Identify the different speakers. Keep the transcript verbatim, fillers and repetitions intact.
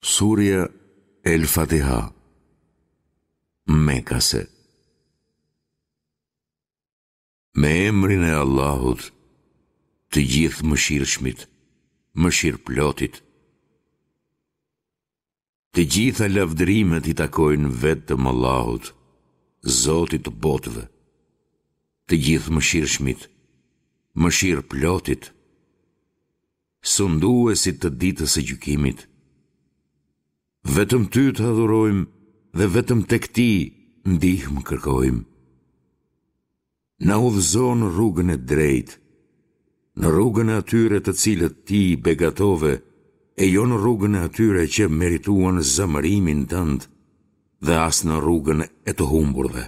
Speaker 1: Surja El Fatiha, Mekase. Me emrin e Allahut, të Gjithëmëshirshmit, mëshirëplotit. Të gjitha lavdërimet i takojnë vetëm Allahut, Zotit të botëve, të Gjithëmëshirshmit, mëshirëplotit, sunduesit të ditës së gjykimit. Vetëm ty të adhurojmë dhe vetëm tek ti ndihmë kërkojmë. Na udhëzo në rrugën e drejtë, në rrugën e atyre të cilët ti i begatove e jo në rrugën e atyre që merituan zemërimin tënd dhe as në rrugën e të humburve.